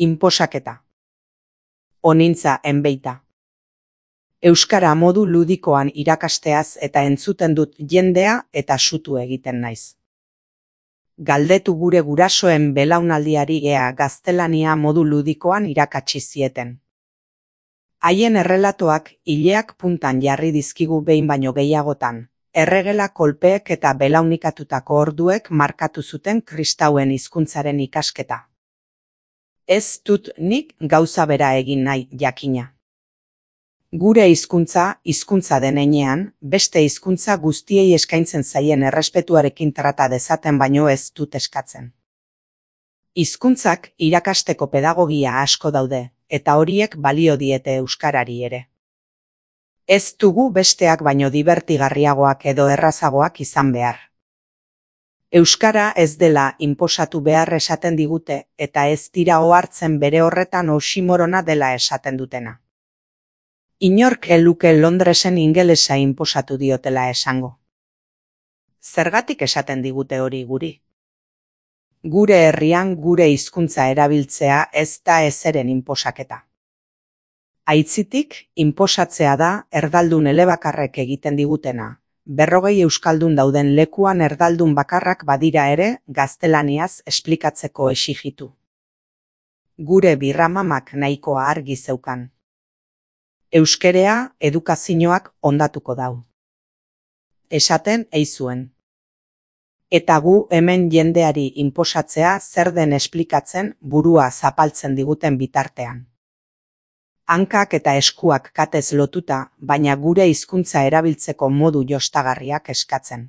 Inposaketa. Onintza enbeita. Euskara modu ludikoan irakasteaz eta entzuten dut jendea eta sutu egiten naiz. Galdetu gure gurasoen belaunaldiari ea gaztelania modu ludikoan irakatsi zieten. Haien errelatoak ileak puntan jarri dizkigu behin baino gehiagotan, erregela kolpeek eta belaunikatutako orduek markatu zuten kristauen hizkuntzaren ikasketa. Ez dut nik gauza bera egin nahi, jakina. Gure hizkuntza den heinean, beste hizkuntza guztiei eskaintzen zaien errespetuarekin trata dezaten baino ez dut eskatzen. Hizkuntzak irakasteko pedagogia asko daude, eta horiek balio diete euskarari ere. Ez dugu besteak baino dibertigarriagoak edo errazagoak izan behar. Euskara ez dela inposatu behar esaten digute, eta ez dira ohartzen bere horretan oximorona dela esaten dutena. Inork eluke Londresen ingelesa inposatu diotela esango. Zergatik esaten digute hori guri? Gure herrian gure hizkuntza erabiltzea ez da ezeren inposaketa. Aitzitik, inposatzea da erdaldun elebakarrek egiten digutena. 40 euskaldun dauden lekuan erdaldun bakarrak badira ere gaztelaniaz esplikatzeko exigitu. Gure birramamak nahikoa argi zeukan. Euskerea edukazioak ondatuko dau. Esaten eizuen. Eta gu hemen jendeari inposatzea zer den esplikatzen burua zapaltzen diguten bitartean. Hankak eta eskuak katez lotuta, baina gure hizkuntza erabiltzeko modu jostagarriak eskatzen.